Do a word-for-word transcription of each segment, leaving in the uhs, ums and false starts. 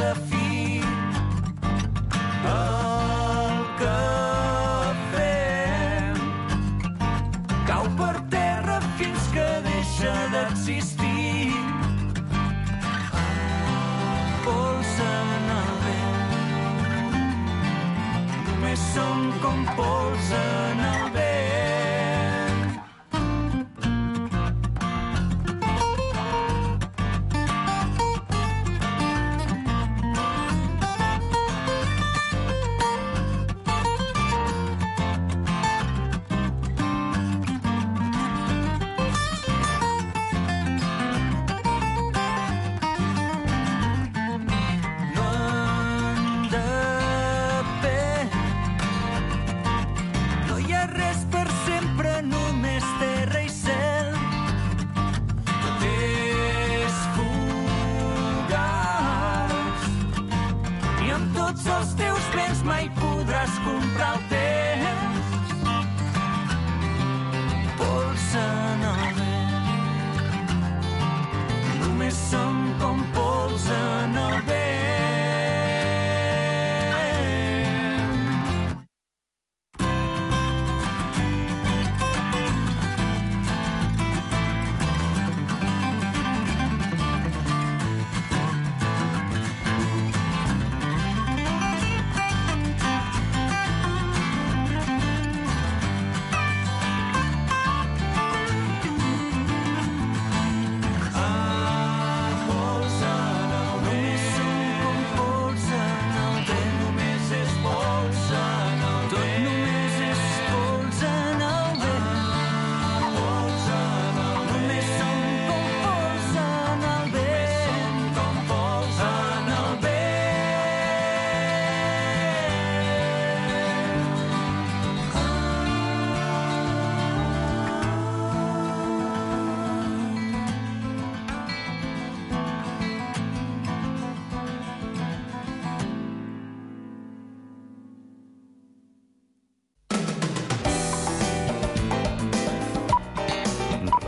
sense fi. El que fem cau per terra fins que deixa d'existir. Pols en el vent, només som com pols en el vent.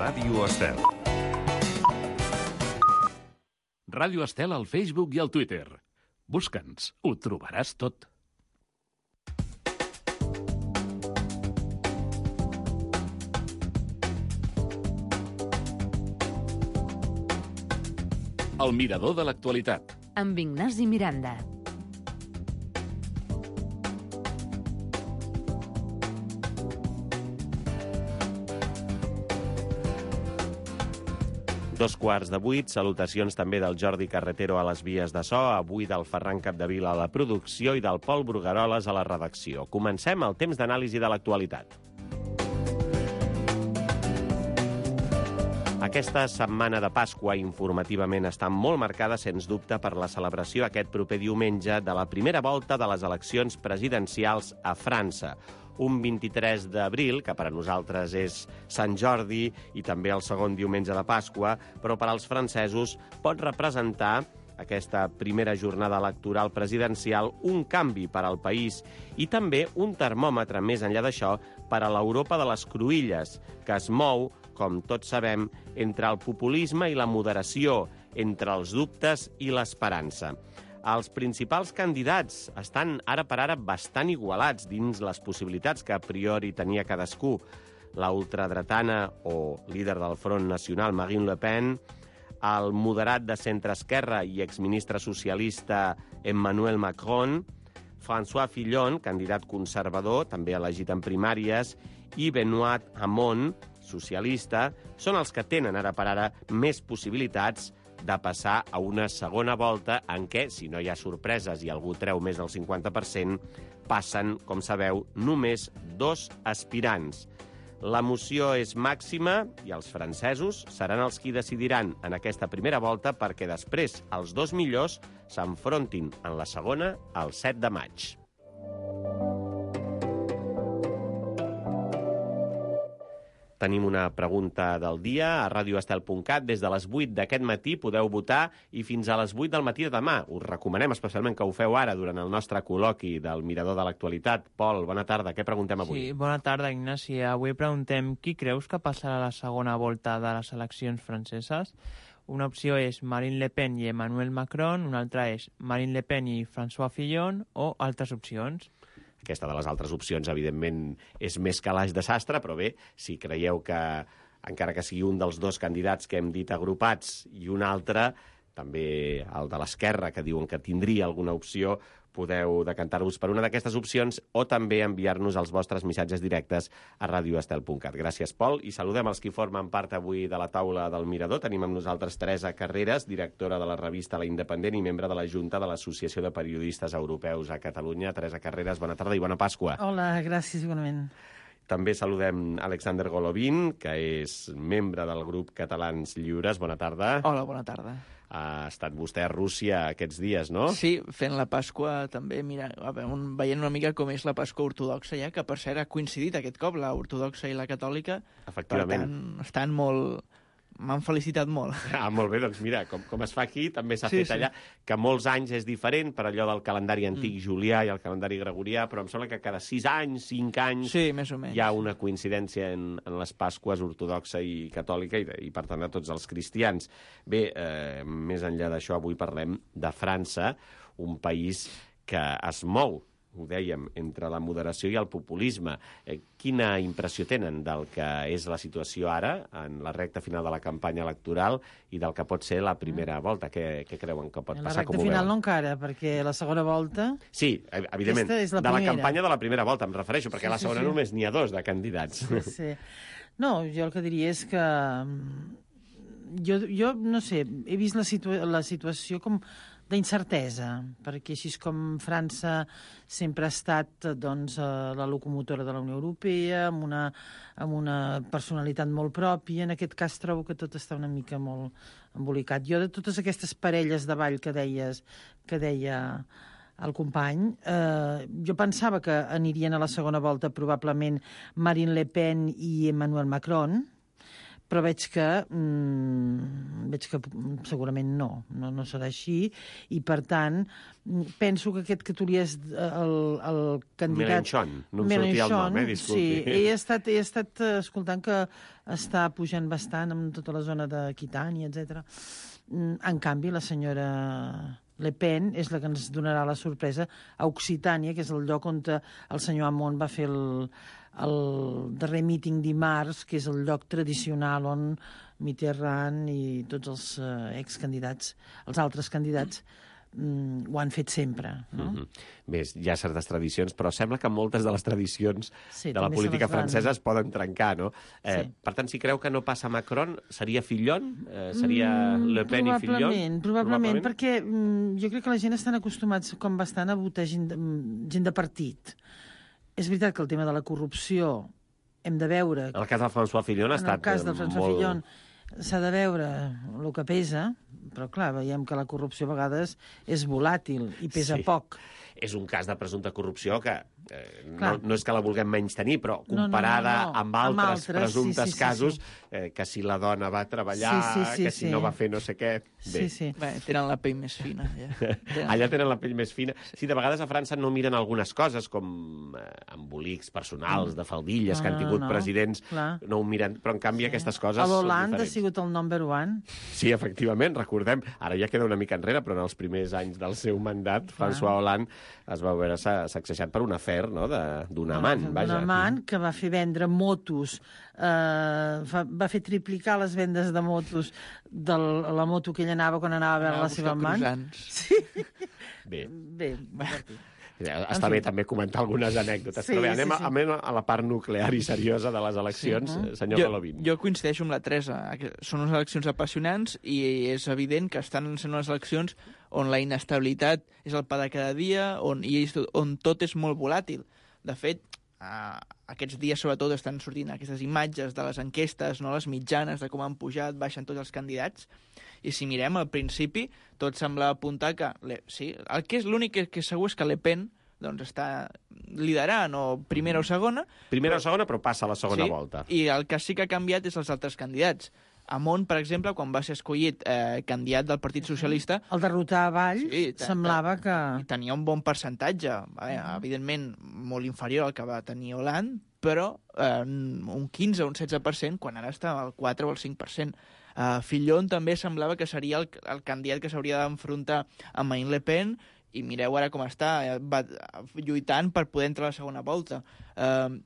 Ràdio Estel. Ràdio Estel al Facebook i al Twitter. Busca'ns, ho trobaràs tot. El mirador de l'actualitat. Amb Ignasi Miranda. Dos quarts de vuit, salutacions també del Jordi Carretero a les vies de so, avui del Ferran Capdevila a la producció i del Pol Brugueroles a la redacció. Comencem el temps d'anàlisi de l'actualitat. Aquesta setmana de Pasqua informativament està molt marcada, sens dubte, per la celebració aquest proper diumenge de la primera volta de les eleccions presidencials a França. Un vint-i-tres d'abril, que per a nosaltres és Sant Jordi i també el segon diumenge de Pasqua, però per als francesos pot representar aquesta primera jornada electoral presidencial un canvi per al país i també un termòmetre, més enllà d'això, per a l'Europa de les cruïlles, que es mou, com tots sabem, entre el populisme i la moderació, entre els dubtes i l'esperança. Els principals candidats estan ara per ara bastant igualats dins les possibilitats que a priori tenia cadascú. La ultradretana o líder del Front Nacional, Marine Le Pen, el moderat de centre-esquerra i exministre socialista Emmanuel Macron, François Fillon, candidat conservador, també elegit en primàries, i Benoît Hamon, socialista, són els que tenen ara per ara més possibilitats de passar a una segona volta en què, si no hi ha sorpreses i algú treu més del cinquanta per cent, passen, com sabeu, només dos aspirants. L'emoció és màxima i els francesos seran els qui decidiran en aquesta primera volta perquè després els dos millors s'enfrontin en la segona el set de maig. Tenim una pregunta del dia a radio estel punt cat. Des de les vuit d'aquest matí podeu votar i fins a les vuit del matí de demà. Us recomanem especialment que ho feu ara durant el nostre col·loqui del Mirador de l'Actualitat. Pol, bona tarda. Què preguntem avui? Sí, bona tarda, Ignasi. Avui preguntem qui creus que passarà a la segona volta de les eleccions franceses? Una opció és Marine Le Pen i Emmanuel Macron, una altra és Marine Le Pen i François Fillon, o altres opcions. Aquesta de les altres opcions, evidentment, és més calaix de sastre, però bé, si creieu que, encara que sigui un dels dos candidats que hem dit agrupats i un altre, també el de l'esquerra, que diuen que tindria alguna opció, podeu decantar-vos per una d'aquestes opcions o també enviar-nos els vostres missatges directes a radio estel punt cat. Gràcies, Pol, i saludem els qui formen part avui de la taula del Mirador. Tenim amb nosaltres Teresa Carreras, directora de la revista La Independent i membre de la Junta de l'Associació de Periodistes Europeus a Catalunya. Teresa Carreras, bona tarda i bona Pasqua. Hola, gràcies, igualment. També saludem Alexander Golovin, que és membre del grup Catalans Lliures. Bona tarda. Hola, bona tarda. Ha estat vostè a Rússia aquests dies, no? Sí, fent la Pasqua també, mira, a veure, un, veient una mica com és la Pasqua ortodoxa ja, que per cert ha coincidit aquest cop, la ortodoxa i la catòlica. Efectivament. Per tant, estan molt... M'han felicitat molt. Ah, molt bé, doncs mira, com, com es fa aquí, també s'ha Sí, fet sí. allà, que molts anys és diferent per allò del calendari antic Mm. julià i el calendari gregorià, però em sembla que cada sis anys, cinc anys, Sí, més o menys. hi ha una coincidència en, en les Pasques ortodoxa i catòlica i, i per tant, de tots els cristians. Bé, eh, més enllà d'això, avui parlem de França, un país que es mou, ho dèiem, entre la moderació i el populisme. Eh, quina impressió tenen del que és la situació ara, en la recta final de la campanya electoral, i del que pot ser la primera volta? Què, què creuen que pot La passar? recta Com ho final veuen? no encara, perquè la segona volta... Sí, ev- evidentment, Aquesta és la de la primera. campanya de la primera volta, em refereixo, perquè Sí, a la sí, segona sí. només n'hi ha dos de candidats. Sí, sí. No, jo el que diria és que... mm, Jo, jo no sé, he vist la, situa la situació com d'incertesa, perquè així com França sempre ha estat doncs, eh, la locomotora de la Unió Europea, amb una, amb una personalitat molt pròpia, en aquest cas trobo que tot està una mica molt embolicat. Jo de totes aquestes parelles de ball que deies, que deia el company, eh, jo pensava que anirien a la segona volta probablement Marine Le Pen i Emmanuel Macron, però veig que, mm, veig que segurament no, no, no serà així, i per tant mm, penso que aquest que tu li és el, el candidat... Mélenchon, no em sortia el nom, eh, disculpi. Sí, he estat, he estat eh, escoltant que està pujant bastant en tota la zona d'Aquitània, etcètera. Mm, En canvi, la senyora Le Pen és la que ens donarà la sorpresa a Occitània, que és el lloc on el senyor Hamon va fer el, el darrer míting dimarts, que és el lloc tradicional on Mitterrand i tots els eh, excandidats, els altres candidats, mm, ho han fet sempre. No? Mhm. Bé, hi ha certes tradicions, però sembla que moltes de les tradicions Sí, de la també se política les van- francesa es poden trencar, no? Eh, Sí. Per tant, si creu que no passa Macron, seria Fillon? Eh, seria Mm, Le Pen i Fillon? Probablement, probablement, perquè mm, jo crec que la gent estan acostumats com bastant a votar gent de, mm, gent de partit. És veritat que el tema de la corrupció hem de veure... En el cas del François Fillon ha en estat el cas del eh, François molt... Fillon s'ha de veure el que pesa, però clar, veiem que la corrupció a vegades és volàtil i pesa Sí. poc. És un cas de presumpta corrupció que eh, no, Clar. no és que la vulguem menys tenir, però No, no, no, comparada no. amb altres, Amb altres, presumptes sí, sí, sí, casos, sí. Eh, que si la dona va treballar, Sí, sí, sí, que si sí. no va fer no sé què... Bé. Sí, sí. Bé, tenen la pell més fina, ja. Tenen... Allà tenen la pell més fina. Sí, de vegades a França no miren algunes coses, com eh, embolics personals de faldilles No, que han no, tingut no, presidents, clar. no ho miren, però en canvi aquestes coses A són l'Hollande ha diferents. sigut el number one. Sí, efectivament, recordem, ara ja queda una mica enrere, però en els primers anys del seu mandat, François Hollande es va veure sa- sacsejat per un afer, no?, de- d'un amant, Un vaja. amant que va fer vendre motos, eh, va, va fer triplicar les vendes de motos de la moto que ell anava quan anava a veure Anava la seva a buscar amant. croissants. Sí. Bé, Bé, divertit. està bé també comentar algunes anècdotes, Sí, però bé, sí, anem, a, sí. anem a la part nuclear i seriosa de les eleccions, sí. senyor jo, Golovin. jo coincideixo amb la Teresa. que Són unes eleccions apassionants i és evident que estan sent unes eleccions on la inestabilitat és el pa de cada dia, on, i és, on tot és molt volàtil. De fet, eh, aquests dies sobretot estan sortint aquestes imatges de les enquestes, no, les mitjanes, de com han pujat, baixen tots els candidats, i si mirem al principi, tot sembla apuntar que... Le, sí, el que és l'únic que, que segur és que Le Pen doncs, està liderant, o primera o segona, Primera o segona, però passa a la segona sí, volta. i el que sí que ha canviat és els altres candidats. Hamon, per exemple, quan va ser escollit eh, candidat del Partit Socialista, El derrotar a Valls Sí, ta- semblava que... i tenia un bon percentatge, eh, evidentment molt inferior al que va tenir Hollande, però eh, un quinze o un setze per cent, quan ara està al quatre o al cinc per cent. Uh, Fillon també semblava que seria el, el candidat que s'hauria d'enfrontar amb Marine Le Pen, i mireu ara com està, eh, va, lluitant per poder entrar a la segona volta. Uh,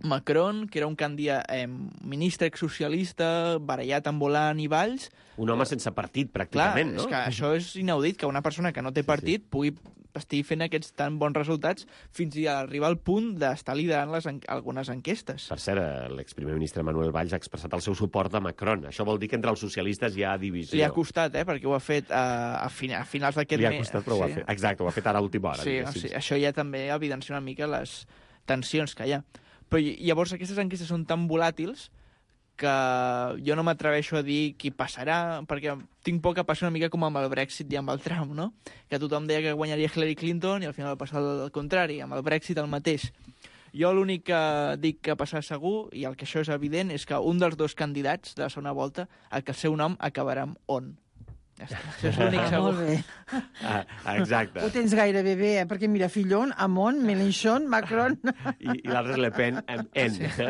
Macron, que era un candidat eh, ministre exsocialista, barallat amb Hollande i Valls... Un home sense partit, pràcticament, clar, no? És que això és inaudit, que una persona que no té partit sí, sí. pugui estigui fent aquests tan bons resultats fins a arribar al punt d'estar liderant les en algunes enquestes. Per cert, l'exprimer ministre Manuel Valls ha expressat el seu suport a Macron. Això vol dir que entre els socialistes hi ha divisió. Li ha costat, eh? Perquè ho ha fet uh, a, fin a finals d'aquest mes. Li ha costat, però sí. ho ha fet. Exacte, ho ha fet ara a última hora. Sí, sí, això ja també evidencia una mica les tensions que hi ha. Però llavors aquestes enquestes són tan volàtils que jo no m'atreveixo a dir qui passarà, perquè tinc por que passi una mica com amb el Brexit i amb el Trump, no? Que tothom deia que guanyaria Hillary Clinton i al final va passar el contrari, amb el Brexit el mateix. Jo l'únic que dic que passarà segur, i el que això és evident, és que un dels dos candidats de la segona volta, el que el seu nom acabarà amb on. Ja està. Això és l'únic segur. Molt bé. Ah, exacte. Ho tens gairebé bé, eh? Perquè mira, Fillon, Hamon, Mélenchon, Macron... I, i l'altre és Le Pen amb N. Sí.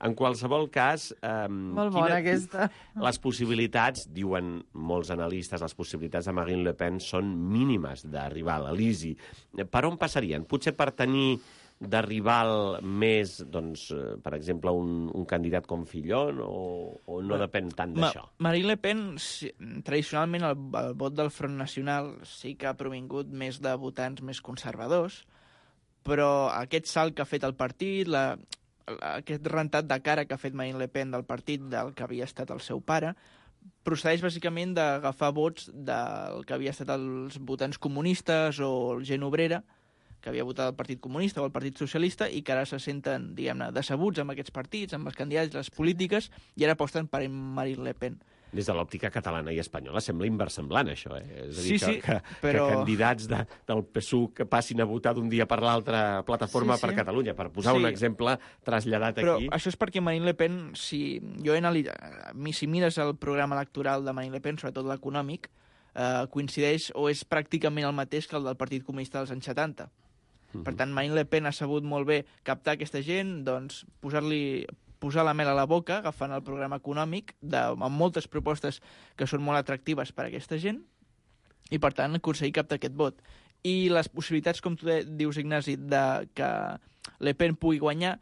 En qualsevol cas... Um, Molt bona quina, aquesta. Les possibilitats, diuen molts analistes, les possibilitats de Marine Le Pen són mínimes d'arribar a l'Elisi. Per on passarien? Potser per tenir de rival més, doncs, per exemple, un, un candidat com Fillon, o, o no depèn tant d'això? Ma Marine Le Pen, si, tradicionalment, el, el vot del Front Nacional sí que ha provingut més de votants més conservadors, però aquest salt que ha fet el partit, la, la, aquest rentat de cara que ha fet Marine Le Pen del partit del que havia estat el seu pare, procedeix bàsicament d'agafar vots del que havia estat els votants comunistes o gent obrera, que havia votat el Partit Comunista o el Partit Socialista i que ara se senten, diguem-ne, decebuts amb aquests partits, amb els candidats, les polítiques, i ara aposten per Marine Le Pen. Des de l'òptica catalana i espanyola sembla inversemblant, això, eh? És a dir, sí, que, sí, que, però... que candidats de, del P S U que passin a votar d'un dia per l'altre plataforma sí, sí. per Catalunya, per posar sí. un exemple traslladat però aquí. Però això és perquè Marine Le Pen, si jo he analitzat, si mires el programa electoral de Marine Le Pen, sobretot l'econòmic, eh, coincideix o és pràcticament el mateix que el del Partit Comunista dels anys setanta. Uh-huh. Per tant, Marine Le Pen ha sabut molt bé captar aquesta gent, doncs posar-li posar la mel a la boca, agafant el programa econòmic, de, amb moltes propostes que són molt atractives per a aquesta gent, i per tant aconseguir captar aquest vot. I les possibilitats, com tu dius, Ignasi, de que Le Pen pugui guanyar,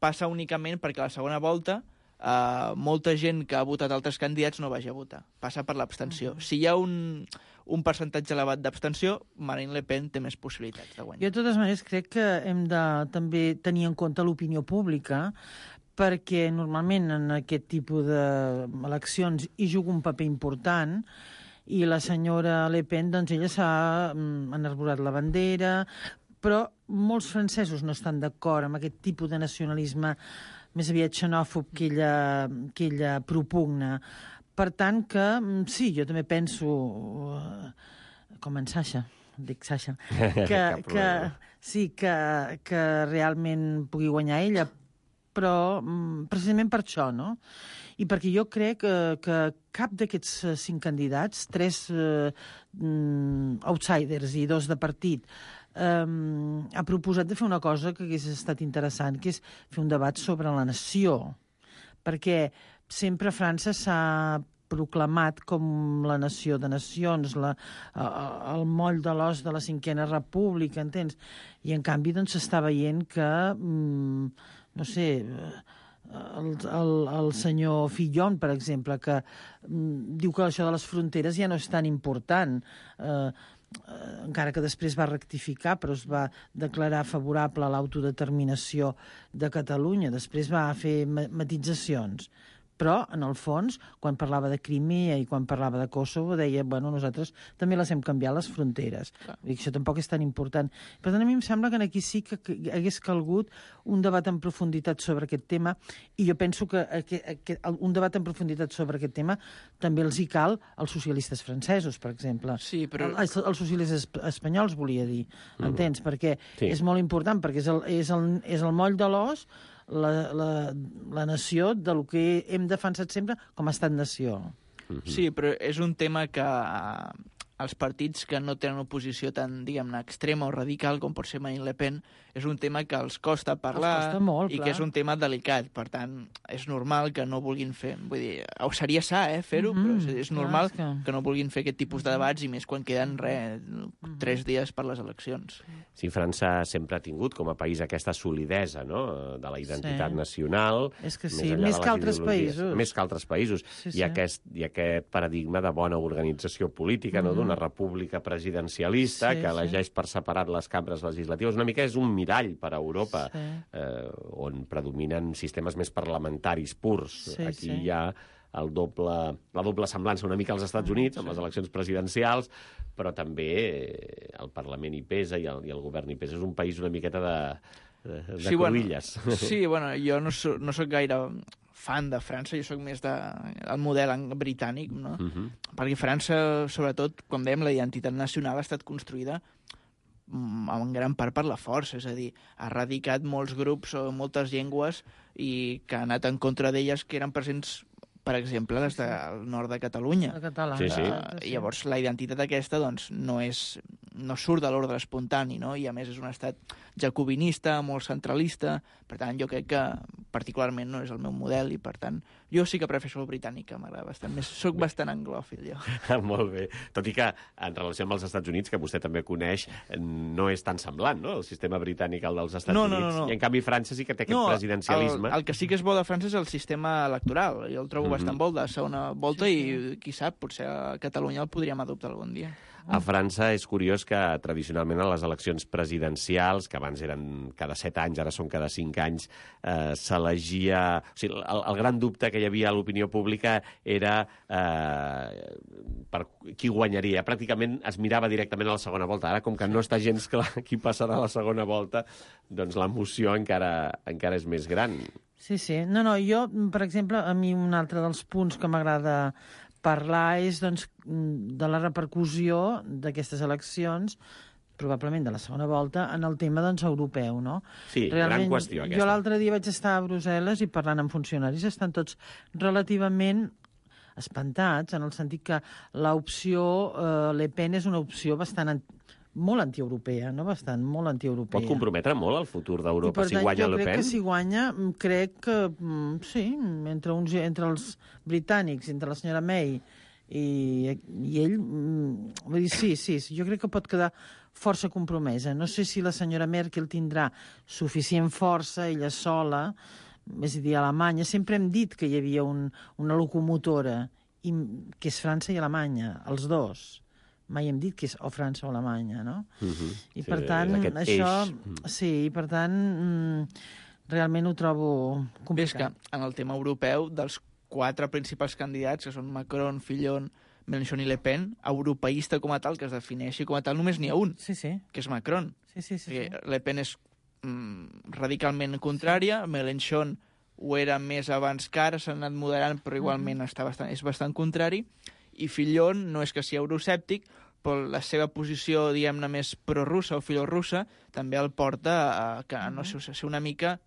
passa únicament perquè a la segona volta Uh, molta gent que ha votat altres candidats no vagi a votar. Passa per l'abstenció. Uh-huh. Si hi ha un, un percentatge elevat d'abstenció, Marine Le Pen té més possibilitats de guanyar. Jo, de totes maneres, crec que hem de també tenir en compte l'opinió pública, perquè normalment en aquest tipus d'eleccions hi juga un paper important, i la senyora Le Pen, doncs ella s'ha enarborat la bandera, però molts francesos no estan d'acord amb aquest tipus de nacionalisme més aviat xenòfob que ella, que ella propugna. Per tant que, sí, jo també penso, com en Sasha, dic Sasha, que, que sí, que, que realment pugui guanyar ella, però precisament per això, no? I perquè jo crec que, que cap d'aquests cinc candidats, tres eh, outsiders i dos de partit, Um, ha proposat de fer una cosa que hagués estat interessant, que és fer un debat sobre la nació, perquè sempre França s'ha proclamat com la nació de nacions, la, el moll de l'os de la cinquena república, entens? I en canvi doncs s'està veient que, um, no sé, el, el, el senyor Fillon, per exemple, que um, diu que això de les fronteres ja no és tan important, eh, Uh, encara que després va rectificar, però es va declarar favorable a l'autodeterminació de Catalunya. Després va fer matitzacions. Però, en el fons, quan parlava de Crimea i quan parlava de Kosovo, deia, bueno, nosaltres també les hem canviat, les fronteres. I això tampoc és tan important. Per tant, a mi em sembla que aquí sí que hagués calgut un debat en profunditat sobre aquest tema, i jo penso que un debat en profunditat sobre aquest tema també els hi cal als socialistes francesos, per exemple. Sí, però... Els, els socialistes espanyols, volia dir, mm. entens? Perquè sí. És molt important, perquè és el, és el, és el moll de l'os, La, la, la nació del que hem defensat sempre com a estat-nació. Sí, però és un tema que els partits que no tenen oposició tan, diguem-ne, extrema o radical com pot ser Marine Le Pen, és un tema que els costa parlar Els costa molt, i clar. que és un tema delicat. Per tant, és normal que no vulguin fer... Vull dir, ho seria sa, eh, fer-ho, Mhm, però és, és clar, normal és que- que no vulguin fer aquest tipus de debats i més quan queden, res, tres dies per les eleccions. Sí, França sempre ha tingut com a país aquesta solidesa, no?, de la identitat Sí. nacional. És que més sí, enllà més de que les altres ideologies. països. Més que altres països. Sí, I, sí. aquest, I aquest paradigma de bona organització política, no?, d'una república presidencialista Sí, que sí. elegeix per separat les cambres legislatives. Una mica és un mirall per a Europa, Sí. eh, on predominen sistemes més parlamentaris purs. Sí, Aquí sí. hi ha el doble, la doble semblança una mica als Estats Units, amb les eleccions presidencials, però també eh, el Parlament hi pesa i el, i el govern hi pesa. És un país una miqueta de, de, de Sí, bueno, cruïlles. sí, bueno, jo no soc, no soc gaire fan de França, jo sóc més de, el model ang- britànic, no? Uh -huh. Perquè França, sobretot, com dèiem, la identitat nacional ha estat construïda mm, en gran part per la força, és a dir, ha erradicat molts grups o moltes llengües i que ha anat en contra d'elles que eren presents, per exemple, les del nord de Catalunya. El català. Sí, sí. exacte, Uh, llavors, la identitat aquesta doncs, no, és, no surt de l'ordre espontani, no? I a més és un estat jacobinista, molt centralista, per tant jo crec que particularment no és el meu model i per tant jo sí que prefereixo el britànic, que m'agrada bastant més. Soc bastant anglòfil, jo. Molt bé. Tot i que, en relació amb els Estats Units, que vostè també coneix, no és tan semblant, no?, el sistema britànic al dels Estats No, no, Units. no, no. I, en canvi, França sí que té aquest presidencialisme. el, el que sí que és bo de França és el sistema electoral. Jo el trobo Mhm. bastant bo de segona volta i, qui sap, potser a Catalunya el podríem adoptar algun dia. A França és curiós que tradicionalment a les eleccions presidencials, que abans eren cada set anys, ara són cada cinc anys, eh, s'elegia... O sigui, el, el gran dubte que hi havia a l'opinió pública era eh, per qui guanyaria. Pràcticament es mirava directament a la segona volta. Ara, com que no està gens clar qui passarà a la segona volta, doncs l'emoció encara, encara és més gran. Sí, sí. No, no, jo, per exemple, a mi un altre dels punts que m'agrada parlar és doncs, de la repercussió d'aquestes eleccions, probablement de la segona volta, en el tema doncs, europeu, no? Sí, gran qüestió, aquesta. Jo l'altre dia vaig estar a Brussel·les i parlant amb funcionaris estan tots relativament espantats, en el sentit que l'opció eh, Le Pen és una opció bastant an molt antieuropea, no? Bastant, molt antieuropea. Pot comprometre molt el futur I, d'Europa per si tant, guanya jo Le crec Pen? que si guanya, mm, crec que, mm, sí, entre, uns, entre els britànics, entre la senyora May i, i ell, mm, vull dir, sí, sí, sí, jo crec que pot quedar força compromesa. No sé si la senyora Merkel tindrà suficient força, ella sola, és a dir, a Alemanya. Sempre hem dit que hi havia un, una locomotora, i, que és França i Alemanya, els dos. Mai hem dit que és o França o Alemanya, no? Uh -huh. I Sí, per tant, és aquest això... eix. Sí, i per tant, mm, realment ho trobo Bé, és que complicat. en el tema europeu, dels quatre principals candidats, que són Macron, Fillon, Mélenchon i Le Pen, europeista com a tal, que es defineixi com a tal, només n'hi ha un, Sí, sí, que és Macron. sí, sí, sí, sí. Perquè Le Pen és mm, radicalment contrària, Mélenchon ho era més abans que ara, s'ha anat moderant, però igualment està bastant, és bastant contrari, i Fillon no és que sigui euroscèptic, però la seva posició, diguem-ne, més prorussa o filorussa també el porta a, que, no sé, a ser una mica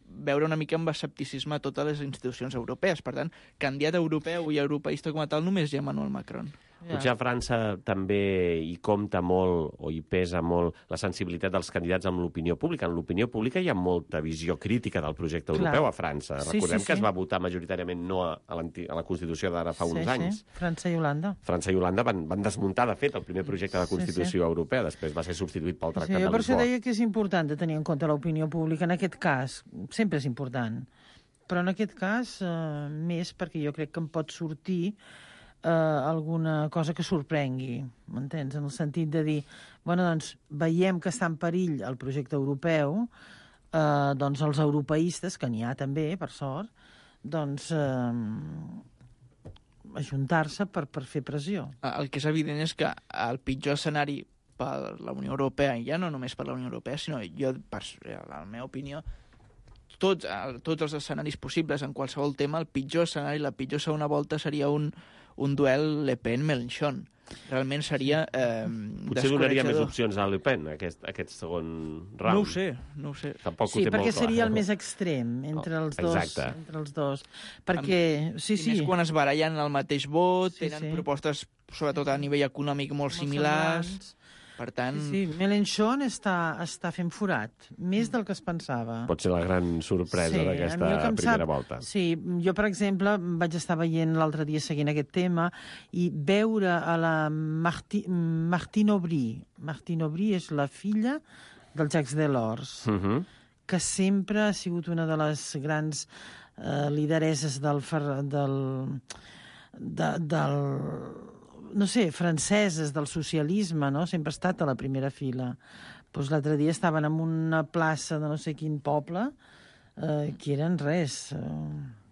veure una mica amb escepticisme totes les institucions europees. Per tant, candidat europeu i europeista com a tal només hi ha Emmanuel Macron. Potser a França també hi compta molt o hi pesa molt la sensibilitat dels candidats amb l'opinió pública. En l'opinió pública hi ha molta visió crítica del projecte Clar. europeu a França. Sí, Recordem sí, que sí. es va votar majoritàriament no a, a, a la Constitució d'ara fa uns sí, anys. Sí. França i Holanda. França i Holanda van, van desmuntar, de fet, el primer projecte de Sí, Constitució europea. Després va ser substituït pel Sí, Tractat jo de per això Lisboa. deia que és important de tenir en compte l'opinió pública. En aquest cas, sempre és important. Però en aquest cas, eh, més perquè jo crec que em pot sortir eh, alguna cosa que sorprengui, m'entens? En el sentit de dir, bueno, doncs, veiem que està en perill el projecte europeu, eh, doncs els europeistes, que n'hi ha també, per sort, doncs eh, ajuntar-se per, per fer pressió. El que és evident és que el pitjor escenari per la Unió Europea, i ja no només per la Unió Europea, sinó jo, per la meva opinió, tots, tots els escenaris possibles en qualsevol tema, el pitjor escenari, la pitjor segona volta seria un, un duel Le Pen-Mélenchon. Realment seria eh, Potser donaria més descoratjador. opcions a Le Pen, aquest, aquest segon round. No ho sé, no ho sé. Tampoc Sí, ho té perquè molt clar. seria el més extrem entre els dos. Exacte. Entre els dos. Perquè, sí, I sí. més quan es barallen el mateix vot, Sí, tenen sí. propostes sobretot a nivell econòmic, molt similars. semblants. Per tant... Sí, sí. Mélenchon està, està fent forat, més del que es pensava. Pot ser la gran sorpresa Sí, d'aquesta a mi el que em primera sap- volta. Sí, jo, per exemple, vaig estar veient l'altre dia seguint aquest tema i veure a la Marti, Martine Aubry. Martine Aubry és la filla del Jacques Delors, Uh -huh. que sempre ha sigut una de les grans eh, lideresses del, fer- del, de, del no sé, franceses, del socialisme, no? Sempre ha estat a la primera fila. Pues l'altre dia estaven en una plaça de no sé quin poble eh, que eren res. Eh,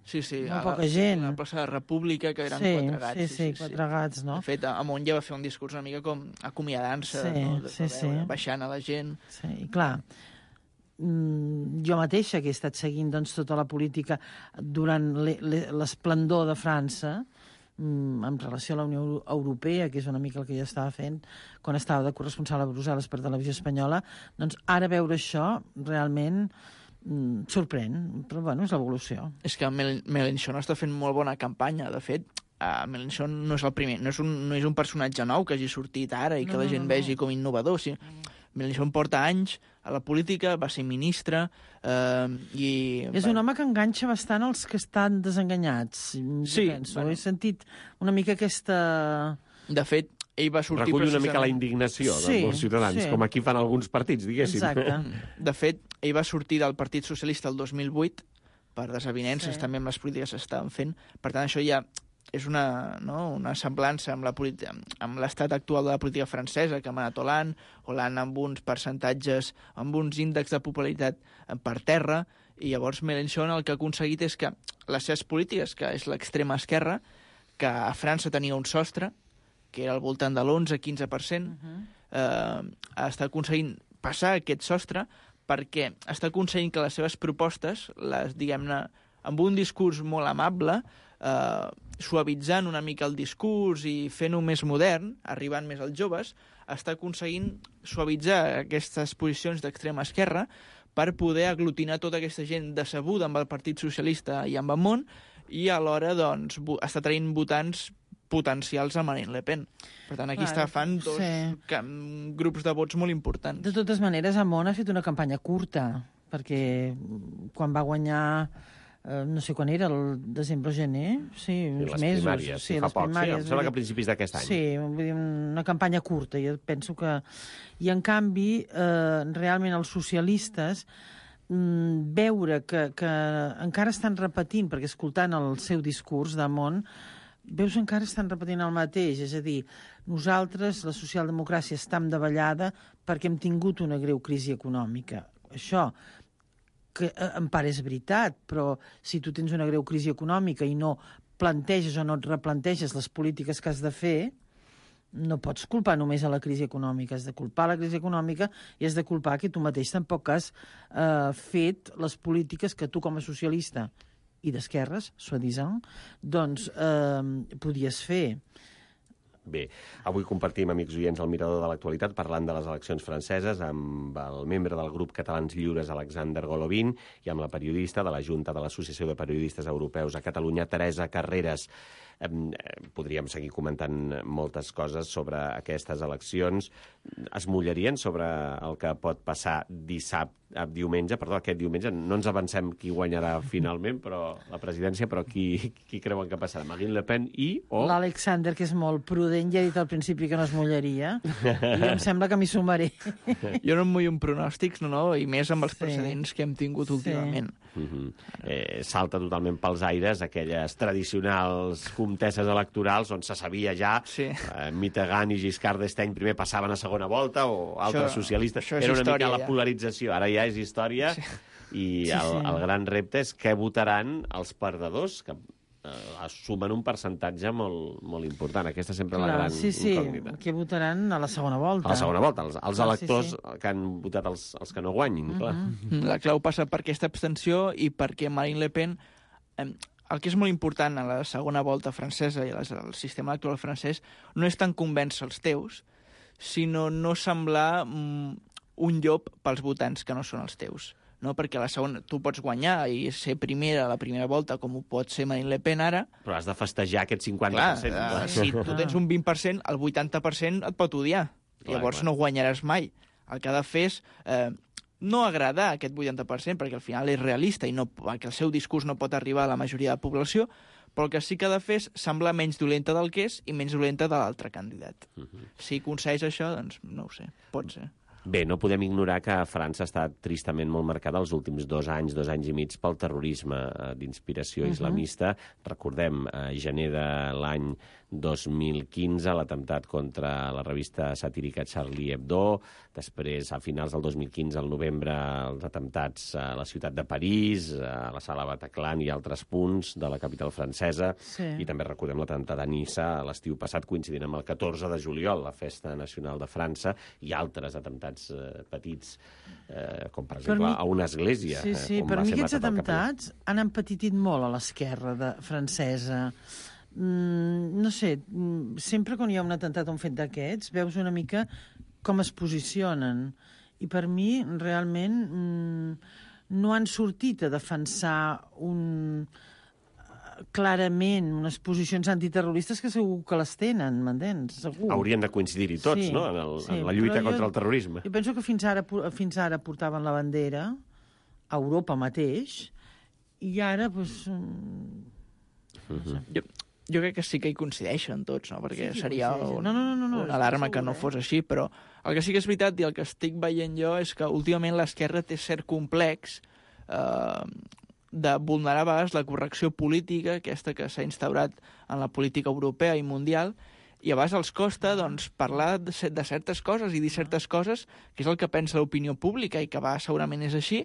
Sí, sí. Molt a la- poca gent. A la plaça de la República, que eren sí, quatre gats. sí, sí, quatre gats, no? De fet, Amon ja va fer un discurs una mica com acomiadant-se, Sí, no? De sí, veure, sí. baixant a la gent. Sí, i clar, mm, jo mateixa que he estat seguint doncs, tota la política durant le- le- l'esplendor de França, mm, en relació a la Unió Euro- Europea, que és una mica el que jo estava fent quan estava de corresponsal a Brussel·les per Televisió Espanyola, doncs ara veure això realment mm, sorprèn, però bueno, és l'evolució. És que Mel Mélenchon està fent molt bona campanya. De fet, uh, Mélenchon no és el primer, no és, un, no és un personatge nou que hagi sortit ara i que No, la no, gent no, vegi no. com innovador. Sí. Mélenchon porta anys a la política, va ser ministre uh, i... És un home que enganxa bastant els que estan desenganyats, jo Sí, penso. bueno. He sentit una mica aquesta... De fet, ell va sortir Recull una mica la precisament- indignació Sí, dels ciutadans, sí. com aquí fan alguns partits, diguéssim. Exacte. De fet, ell va sortir del Partit Socialista el dos mil vuit per desavinences Sí. també amb les polítiques que s'estaven fent. Per tant, això ja és una, no, una semblança amb la politi- amb l'estat actual de la política francesa, que ha manat Hollande, Hollande amb uns percentatges, amb uns índexs de popularitat per terra, i llavors Mélenchon el que ha aconseguit és que les seves polítiques, que és l'extrema esquerra, que a França tenia un sostre, que era al voltant de l'onze quinze per cent, uh -huh. eh, està aconseguint passar aquest sostre perquè està aconseguint que les seves propostes, les diguem-ne, amb un discurs molt amable, eh, suavitzant una mica el discurs i fent-ho més modern, arribant més als joves, està aconseguint suavitzar aquestes posicions d'extrema esquerra per poder aglutinar tota aquesta gent decebuda amb el Partit Socialista i amb el món, i alhora doncs, està traient votants potencials a Marine Le Pen. Per tant, aquí Clar, està fan dos sí. cam- grups de vots molt importants. De totes maneres, Amon ha fet una campanya curta, perquè quan va guanyar, eh, no sé quan era, el desembre o gener, sí, Sí, uns les mesos. primàries, sí, fa les poc. Sí, primàries, em sembla vull que a dir- principis d'aquest any. Sí, vull dir, una campanya curta, jo penso que... I, en canvi, eh, realment els socialistes mm, veure que, que encara estan repetint, perquè escoltant el seu discurs d'Amon, veus que encara estan repetint el mateix, és a dir, nosaltres, la socialdemocràcia, estem davallada perquè hem tingut una greu crisi econòmica. Això, que eh, en part és veritat, però si tu tens una greu crisi econòmica i no planteges o no et replanteges les polítiques que has de fer, no pots culpar només a la crisi econòmica, has de culpar la crisi econòmica i has de culpar que tu mateix tampoc has eh, fet les polítiques que tu com a socialista i d'esquerres, soi-disant, doncs eh, podies fer. Bé, avui compartim, amics oients, el mirador de l'actualitat parlant de les eleccions franceses amb el membre del grup Catalans Lliures, Alexander Golovin, i amb la periodista de la Junta de l'Associació de Periodistes Europeus a Catalunya, Teresa Carreras. Eh, podríem seguir comentant moltes coses sobre aquestes eleccions. Es mullarien sobre el que pot passar dissabte, diumenge, perdó, aquest diumenge. No ens avancem qui guanyarà finalment, però la presidència, però qui, qui creuen que passarà? Marine Le Pen i o... L'Alexander, que és molt prudent, ja ha dit al principi que no es mullaria, i em sembla que m'hi sumaré. Jo no em mullo en pronòstics, no, no, i més amb els Sí. precedents que hem tingut Sí. últimament. Uh-huh. eh, salta totalment pels aires aquelles tradicionals comtesses electorals on se sabia ja Sí. eh, Mitterrand i Giscard d'Estaing primer passaven a segona volta o altres Això- socialistes. això és Era una història, mica la ja. polarització. Ara ja és història Sí. i Sí, el, sí. el gran repte és què votaran els perdedors, que eh, sumen un percentatge molt, molt important. Aquesta sempre és la Clar, gran sí, sí, incògnita. que votaran a la segona volta. A la segona volta, els, els Clar, sí, electors sí. que han votat els, els que no guanyin, clar. Mm, La clau passa per aquesta abstenció i perquè Marine Le Pen... Eh, el que és molt important a la segona volta francesa i al sistema electoral francès no és tant convèncer els teus, sinó no semblar mm, un llop pels votants que no són els teus. no? Perquè la segona, tu pots guanyar i ser primera a la primera volta, com ho pot ser Marine Le Pen ara. Però has de festejar aquest cinquanta Clar, per cent. uh, si tu tens un vint per cent, el vuitanta per cent et pot odiar. Clar, Llavors clar. no guanyaràs mai. El que ha de fer és eh, no agradar a aquest vuitanta per cent, perquè al final és realista i no, que el seu discurs no pot arribar a la majoria de la població, però el que sí que ha de fer és semblar menys dolenta del que és i menys dolenta de l'altre candidat. Uh -huh. Si aconsegueix això, doncs no ho sé, pot ser. Bé, no podem ignorar que França ha estat tristament molt marcada els últims dos anys, dos anys i mig, pel terrorisme eh, d'inspiració uh -huh. islamista. Recordem, a gener de l'any dos mil quinze, l'atemptat contra la revista satírica Charlie Hebdo, després, a finals del dos mil quinze, al novembre, els atemptats a la ciutat de París, a la sala Bataclan i altres punts de la capital francesa, Sí. i també recordem l'atemptat a Niça a l'estiu passat, coincidint amb el catorze de juliol, la Festa Nacional de França, i altres atemptats eh, petits, eh, com per exemple mi... a una església. Sí, sí, eh, on per va mi ser aquests matat el capellà. atemptats han empetitit molt a l'esquerra de- francesa. Mm, no sé, mm, sempre quan hi ha un atemptat o un fet d'aquests, veus una mica com es posicionen. I per mi, realment, mm, no han sortit a defensar un clarament unes posicions antiterroristes que segur que les tenen, m'entens? Segur. Haurien de coincidir-hi tots, Sí, no?, en, el, sí, en la lluita però jo- contra el terrorisme. Jo penso que fins ara, pu- fins ara portaven la bandera a Europa mateix i ara, doncs... Mm, Jo, jo crec que sí que hi coincideixen tots, no? Perquè Sí que hi seria coincideixen. un, No, no, no, no, una estic alarma que segura, no eh? fos així, però el que sí que és veritat i el que estic veient jo és que últimament l'esquerra té cert complex eh, de vulnerar a vegades la correcció política, aquesta que s'ha instaurat en la política europea i mundial, i a vegades els costa doncs, parlar de, cer- de certes coses i dir certes coses, que és el que pensa l'opinió pública i que va segurament és així,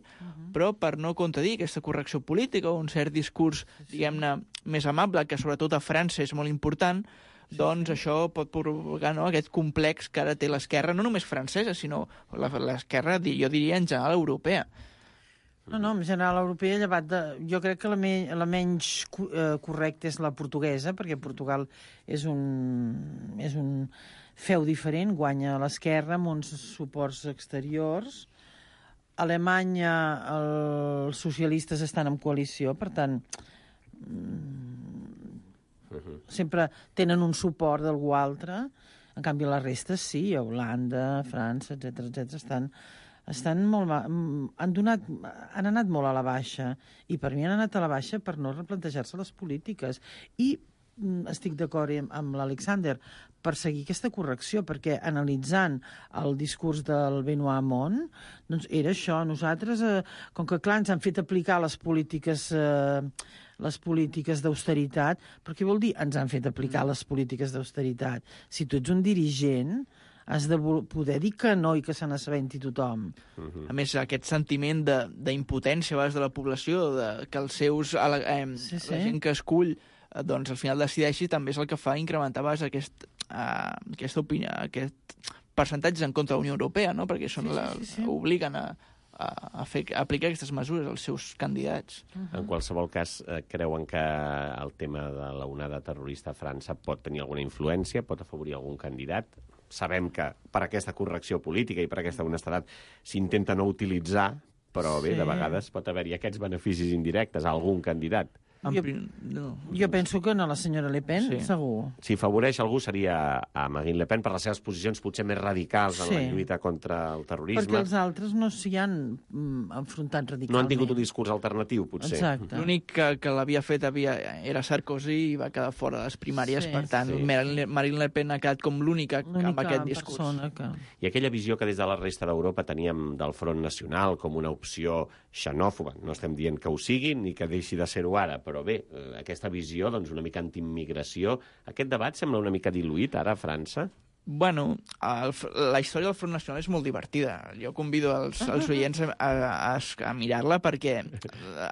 però per no contradir aquesta correcció política o un cert discurs, diguem-ne, més amable, que sobretot a França és molt important, doncs això pot provocar, no?, aquest complex que ara té l'esquerra, no només francesa, sinó la- l'esquerra, di- jo diria, en general europea. No, no, en general europea, llevat de... Jo crec que la, me, la menys co- eh, correcta és la portuguesa, perquè Portugal és un, és un feu diferent, guanya a l'esquerra amb uns suports exteriors. A Alemanya els socialistes estan en coalició, per tant, mm, sempre tenen un suport d'algú altre. En canvi, la resta sí, Holanda, França, etcètera, etcètera, estan estan molt ma... han, donat, han anat molt a la baixa, i per mi han anat a la baixa per no replantejar-se les polítiques. I mm, estic d'acord amb, amb l'Alexander per seguir aquesta correcció, perquè analitzant el discurs del Benoît Hamon, doncs era això. Nosaltres, eh, com que clar, ens han fet aplicar les polítiques... Eh, les polítiques d'austeritat, però què vol dir ens han fet aplicar les polítiques d'austeritat? Si tu ets un dirigent, has de poder dir que no i que se n'assabenti tothom. A més, aquest sentiment de- d'impotència a vegades de la població, de, que els seus, a la, eh, Sí, sí. la gent que escull eh, doncs al final decideixi, també és el que fa incrementar a vegades aquest, eh, aquesta opinió, aquest percentatge en contra de la Unió Europea, no? Perquè són Sí, sí, la, sí, sí. obliguen a, a, a, fer, a aplicar aquestes mesures als seus candidats. En qualsevol cas, eh, creuen que el tema de l'onada terrorista a França pot tenir alguna influència, pot afavorir algun candidat? Sabem que per aquesta correcció política i per aquesta honestedat s'intenta no utilitzar, però bé, Sí. de vegades pot haver-hi aquests beneficis indirectes a algun candidat. En Jo- prim... no. Jo penso que no, la senyora Le Pen, Sí. segur. Si favoreix algú seria a Marine Le Pen per les seves posicions potser més radicals en la Sí. lluita contra el terrorisme. Perquè els altres no s'hi han mm, enfrontat radicalment. No han tingut un discurs alternatiu, potser. Exacte. L'únic que, que l'havia fet havia, era Sarkozy i va quedar fora de les primàries, Sí, per tant, sí. Marine, Marine Le Pen ha quedat com l'única amb L'única aquest discurs. persona que... I aquella visió que des de la resta d'Europa teníem del Front Nacional com una opció xenòfoba. No estem dient que ho sigui ni que deixi de ser-ho ara, però bé, eh, aquesta visió, doncs, una mica antiimmigració, aquest debat sembla una mica diluït ara a França? Bueno, el, la història del Front Nacional és molt divertida. Jo convido els, els oients a, a, a mirar-la perquè...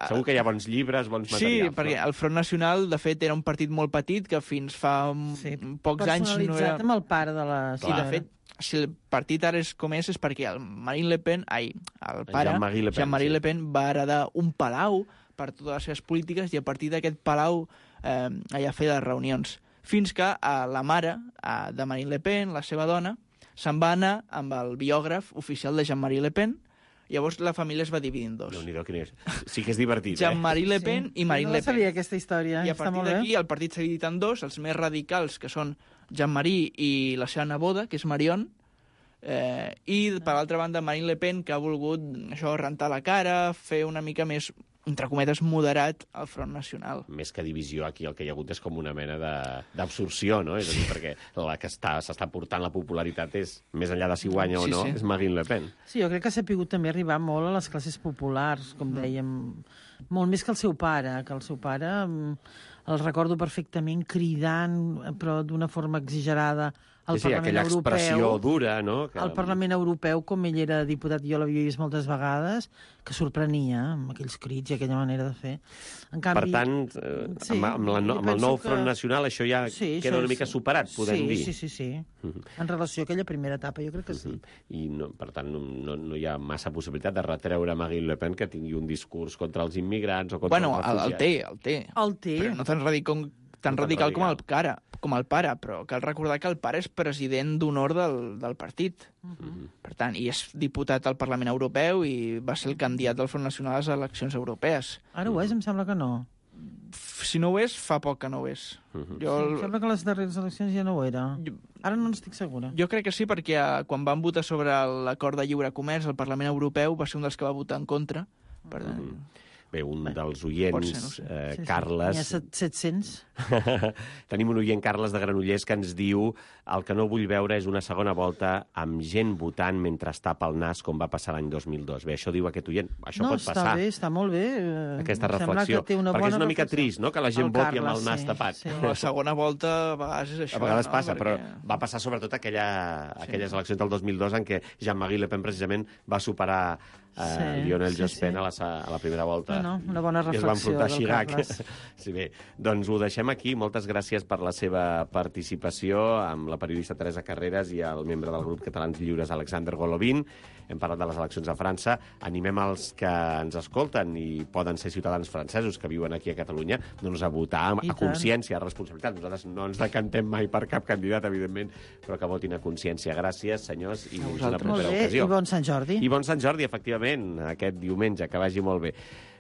Segur que hi ha bons llibres, bons Sí, materials. perquè el Front Nacional, de fet, era un partit molt petit que fins fa Sí, sí, pocs anys no personalitzat era... amb el pare de la I, de senyora. fet, si el partit ara és com és, és perquè el Marine Le Pen, ai, el pare, Jean-Marie Le Pen, Jean-Marie sí. Le Pen, va heredar un palau per totes les seves polítiques i a partir d'aquest palau eh, allà feia les reunions. Fins que eh, la mare eh, de Marine Le Pen, la seva dona, se'n va anar amb el biògraf oficial de Jean-Marie Le Pen Llavors la família es va dividir en dos. Déu-n'hi-do, quin és. Sí que és divertit, eh? Jean-Marie Le Pen Sí. i Marine no Le Pen. sabia aquesta història. I a Està partir molt bé. d'aquí el partit s'ha dividit en dos, els més radicals, que són Jean-Marie i la seva neboda, que és Marion, eh, i per l'altra banda Marine Le Pen, que ha volgut això rentar la cara, fer una mica més, entre cometes, moderat al Front Nacional. Més que divisió, aquí el que hi ha hagut és com una mena de- d'absorció, no? És a dir, perquè la que està- s'està portant la popularitat és, més enllà de si guanya o Sí, no, sí. és Marine Le Pen. Sí, jo crec que s'ha pogut també arribar molt a les classes populars, com dèiem, molt més que el seu pare, que el seu pare mm, el recordo perfectament cridant, però d'una forma exagerada, al Sí, sí, Parlament aquella Europeu. expressió dura, no? Que... Al Parlament Europeu, com ell era diputat, jo l'havia vist moltes vegades, que sorprenia amb aquells crits i aquella manera de fer. En canvi, Per tant, eh, sí, amb, amb, la, jo amb el penso nou que- Front Nacional això ja sí, queda això una és- mica superat, podem sí, dir. Sí, sí, sí. En relació a aquella primera etapa, jo crec que sí. I, no, per tant, no, no, no hi ha massa possibilitat de retreure a Marine Le Pen que tingui un discurs contra els immigrants o contra Bueno, els el, el refugiats. té, el té. El té. Però no tan radical, tan No tan radical com el, radical. cara, com el pare, però cal recordar que el pare és president d'honor del, del partit. Uh-huh. Per tant, i és diputat al Parlament Europeu i va ser el candidat del Front Nacional a les eleccions europees. Ara ho és, em sembla que no. Si no ho és, fa poc que no ho és. Mhm. Jo, Em sembla que a les darreres eleccions ja no ho era. jo, Ara no n'estic segura. jo crec que sí, perquè eh, quan van votar sobre l'acord de lliure comerç al Parlament Europeu va ser un dels que va votar en contra. Per tant, Mhm. Bé, un dels pot oients, ser, no ho sé. eh, Sí, sí. Carles... N'hi ha set- set-cents. Tenim un oient, Carles de Granollers, que ens diu el que no vull veure és una segona volta amb gent votant mentre es tapa el nas, com va passar l'any dos mil dos. Bé, això diu aquest oient. Això no, pot està passar, bé, està molt bé. eh, aquesta em sembla reflexió. que té una perquè bona és una mica reflexió. trist, no?, que la gent El voti amb Carles, el nas sí, tapat. sí. la segona volta a vegades és això. A vegades no? passa, però Perquè- va passar sobretot aquella, aquelles eleccions del dos mil dos en què Jean-Marie Le Pen precisament va superar eh, Sí, Lionel sí, Jospin sí. a, la, sa- a la primera volta. Bueno, una bona I es va reflexió enfrontar a del Chirac. Carles. Sí, bé, doncs ho deixem aquí. Moltes gràcies per la seva participació amb la periodista Teresa Carreras i el membre del grup Catalans Lliures, Alexander Golovin. Hem parlat de les eleccions a França. Animem els que ens escolten i poden ser ciutadans francesos que viuen aquí a Catalunya doncs a votar I a tant. consciència, a responsabilitat. Nosaltres no ens decantem mai per cap candidat, evidentment, però que votin a consciència. Gràcies, senyors, i fins una vosaltres. Molt propera bé, ocasió. i bon Sant Jordi. I bon Sant Jordi, efectivament, aquest diumenge, que vagi molt bé.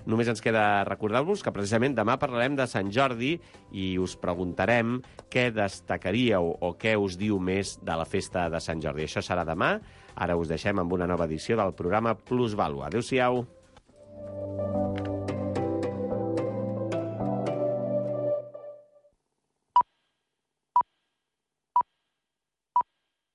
Només ens queda recordar-vos que precisament demà parlarem de Sant Jordi i us preguntarem què destacaríeu o què us diu més de la festa de Sant Jordi. Això serà demà. Ara us deixem amb una nova edició del programa Plusvàlua. Adéu-siau.